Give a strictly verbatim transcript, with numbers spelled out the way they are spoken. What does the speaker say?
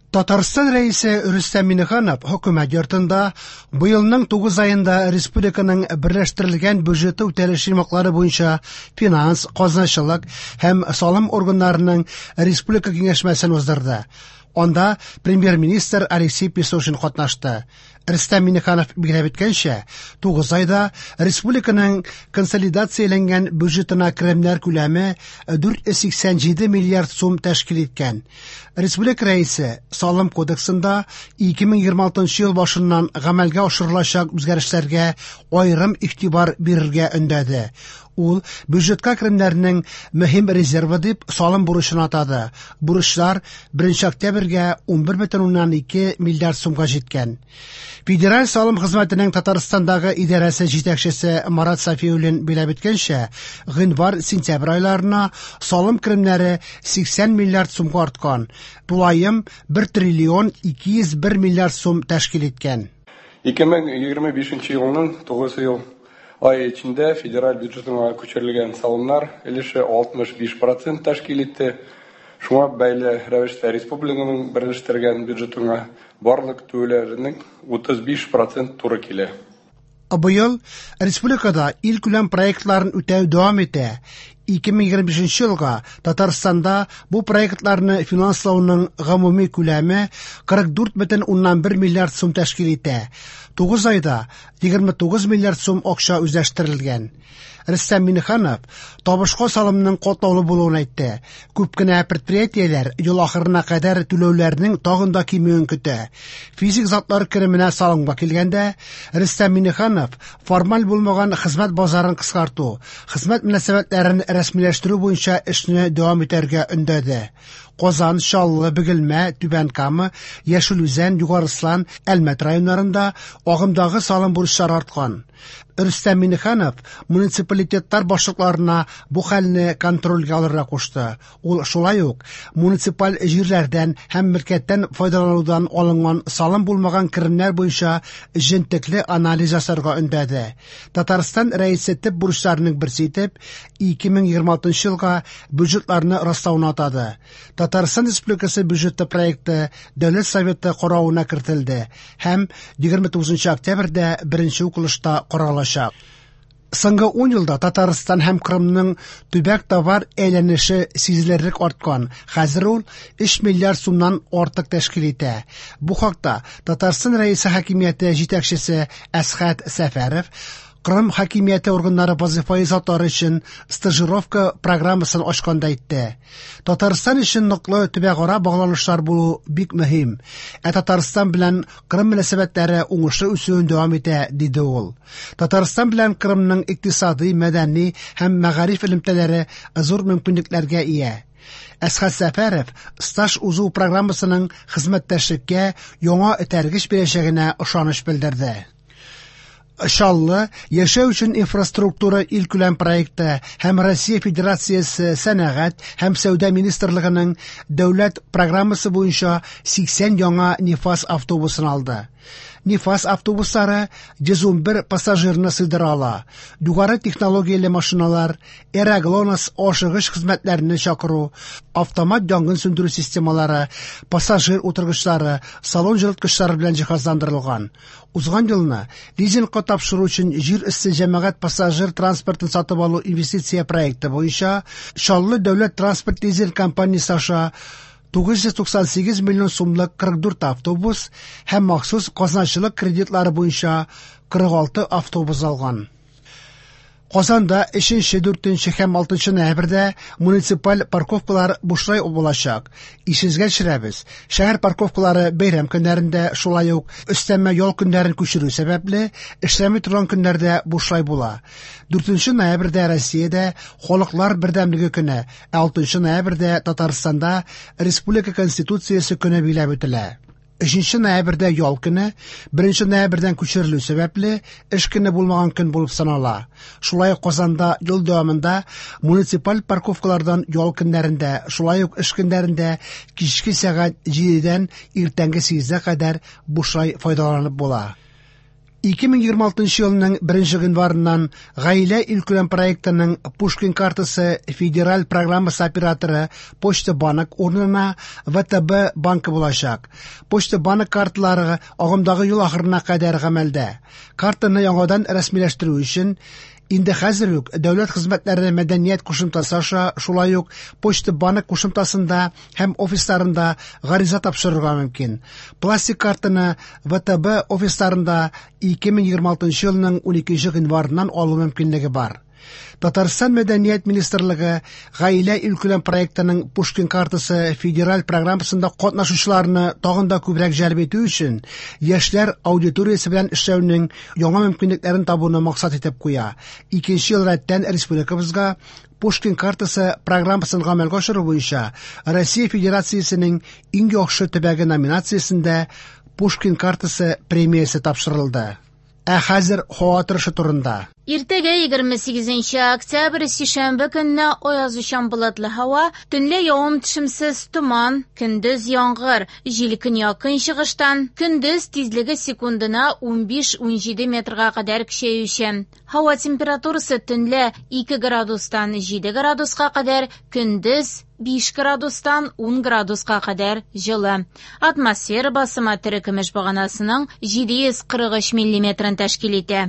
Татарстан Рәисе Рөстәм Миңнеханов хөкүмәт йортында быелның тугыз аенда республиканың берләштерелгән бюджеты үтәлеше йомгаклары буенча финанс, казначылык һәм салым органнарының республика киңәшмәсен уздырды. Анда премьер-министр Алексей Песошин катнашты. Рөстәм Миңнеханов билгеләп үткәнчә, тугыз айда республиканың консолидацияләнгән бюджетына керемнәр күләме дүрт йөз сиксән җиде миллиард сум тәшкил иткән. Республика Рәисе Салым кодексында ике мең егерме алтынчы ел башыннан гамәлгә ашырылачак үзгәрешләргә аерым игътибар бирергә өндәде. Ул бюджетка керемнәрнең мөһим резервы дип салым бурычын атады. Бурычлар беренче октябрьгә унбер бөтен уннан ике миллиард сумга җиткән. Федераль салым хезмәтенең Татарстандагы идарәсе җитәкчесе Марат Сафиуллин билгеләп үткәнчә, гыйнвар-сентябрь айларына салым керемнәре сиксән миллиард сумга арткан, тулаем бер триллион ике йөз бер миллиард сум тәшкил иткән. Ике мең егерме бишенче елның тугыз ел ай эчендә федераль бюджетына күчерелгән салымнар өлеше алтмыш биш процент тәшкил итте. Шуңа бәйле рәвештә республиканың берләштергән бюджетына барлык түләүләрнең утыз биш процент туры килә. Быел республикада илкүләм проектларын үтәү дәвам итә. Ике мең егерме бишенче елга Татарстанда бу проектларны финанслауның гомуми күләме кырык дүрт бөтен уннан бер миллиард сум тәшкил итә. Тугыз айда егерме тугыз миллиард сум акча үзләштерелгән. Рөстәм Миңнеханов табышка салымның катлаулы булуын әйтте. Күп кенә предприятиеләр ел ахырына кадәр түләүләрнең тагын да кимүен көтә. Физик затлар кеременә салымга килгәндә, Рөстәм Миңнеханов формаль булмаган хезмәт базарын кыскарту, хезмәт мөнәсәбәтләрен рәсмиләштерү буенча эшне дәвам итәргә өндәде. Казан, Чаллы, Бөгелмә, Түбән Кама, Яшел Үзән, Югары Ослан, Әлмәт районнарында агымдагы салым бурычлары арткан. Рөстәм Миңнеханов муниципалитетлар башлыкларына бу хәлне контрольгә алырга кушты. Ул шулай ук муниципаль җирләрдән һәм мөлкәттән файдаланудан алынган салым булмаган керемнәр буенча җентекле анализ ясарга өндәде. Татарстан Рәисе төп бурычларының берсе итеп ике мең егерме алтынчы елга бюджетларны раслауны атады. Татарстан Республикасы бюджеты проекты Дәүләт Советы каравына кертелде һәм егерме тугызынчы октябрьдә беренче укылышта каралачак. Соңгы ун елда Татарстан һәм Кырымның төбәк товар әйләнеше сизелерлек арткан. Хәзер ул өч миллиард сумнан артык тәшкил итә. Бу хакта Татарстан Рәисе хакимияте җитәкчесе Әсхәт Сәфәров Кырым хакимияте органнары вазифаи затлары өчен стажировка программасын ачканда әйтте. Татарстан өчен ныклы төбәкара багланышлар булу бик мөһим. Ә Татарстан белән Кырым мөнәсәбәтләре уңышлы үсүен дәвам итә, диде ул. Татарстан белән Кырымның икътисади, мәдәни һәм мәгариф элемтәләре зур мөмкинлекләргә ия. Әсхәт Сәфәров стаж узу программасының хезмәттәшлеккә яңа этәргеч бирәчәгенә ышаныч белдерде. Чаллы яшәү өчен инфраструктура илкүләм проекты һәм Россия Федерациясе Сәнәгать һәм Сәүдә Министрлыгының дәүләт программасы буенча сиксән яңа Нефаз автобусын алды. Нефаз автобуслары йөз ун бер пассажирны сыйдыра ала. Югары технологияле машиналар, Эра-ГЛОНАСС ашыгыч хезмәтләрне чакыру, автомат янгын сүндерү системалары, пассажир утыргычлары, салон җылыткычлары белән җиһазландырылган. Узган елны лизингка тапшыру өчен җир өсте җәмәгать пассажир транспортын сатып алу инвестиция проекты буенча Чаллы дәүләт транспорт лизинг компаниясе аша тугыз йөз туксан сигез миллион сумлык кырык дүрт автобус һәм махсус казначылык кредитлары буенча кырык алты автобус алган. Казанда өченче, дүртенче һәм алтынчы ноябрьдә муниципаль парковкалар бушлай булачак. Исегезгә төшерәбез. Шәһәр парковкалары бәйрәм көннәрендә, шулай ук өстәмә ял көннәрен күчерү сәбәпле, эшләми торган көннәрдә бушлай була. Дүртенче ноябрьдә Россиядә Халыклар бердәмлеге көне, ә алтынчы ноябрьдә Татарстанда Республика Конституциясе көне билгеләп үтелә. Өченче ноябрьдә ял көне, беренче ноябрьдән күчерелү сәбәпле, эш көне булмаган көн булып санала. Шулай ук Казанда ел дәвамында муниципаль парковкалардан ял көннәрендә, шулай ук эш көннәрендә кичке сәгать җидедән иртәнге сигезгә кадәр бушлай файдаланып була. ике мең егерме алтынчы елның беренче гыйнварыннан Гаилә илкүләм проектының Пушкин картасы федераль программасы операторы Почта Банк урынына вэ тэ бэ банкы булачак. Почта Банк карталары агымдагы ел ахырына кадәр гамәлдә. Картаны яңадан рәсмиләштерү өчен инде хәзер үк дәүләт хезмәтләре мәдәният кушымтасы аша, шулай ук Почта Банк кушымтасында һәм офисларында гариза тапшырырга мөмкин. Пластик картаны вэ тэ бэ офисларында ике мең егерме алтынчы елның уникенче гыйнварыннан алу мөмкинлеге бар. Татарстан Мәдәният министрлыгы Гаилә илкүләм проектының Пушкин картасы федераль программасында катнашучыларны тагын да күбрәк җәлеп итү өчен яшьләр аудиториясе белән эшләүнең яңа мөмкинлекләрен табуны максат итеп куя. Икенче ел рәттән республикабызга Пушкин картасы программасын гамәлгә ашыру буенча Россия Федерациясенең иң яхшы төбәге номинациясендә Пушкин картасы премиясе тапшырылды. Ә хәзер һава торышы турында. Иртәгә егерме сигезенче октябрь сишәмбе көнне аязучан болытлы һава, төнлә явым-төшемсез томан, көндез яңгыр, җил көньяк-көнчыгыштан, көндез тизлеге секундына унбиш-унҗиде метрга кадәр көчәючән. Һава температурасы төнлә ике градустан җиде градуска кадәр, көндез биш градустан ун градуска кадәр җылы. Атмосфера басымы терекөмеш баганасының җиде йөз кырык өч миллиметрын тәшкил итә.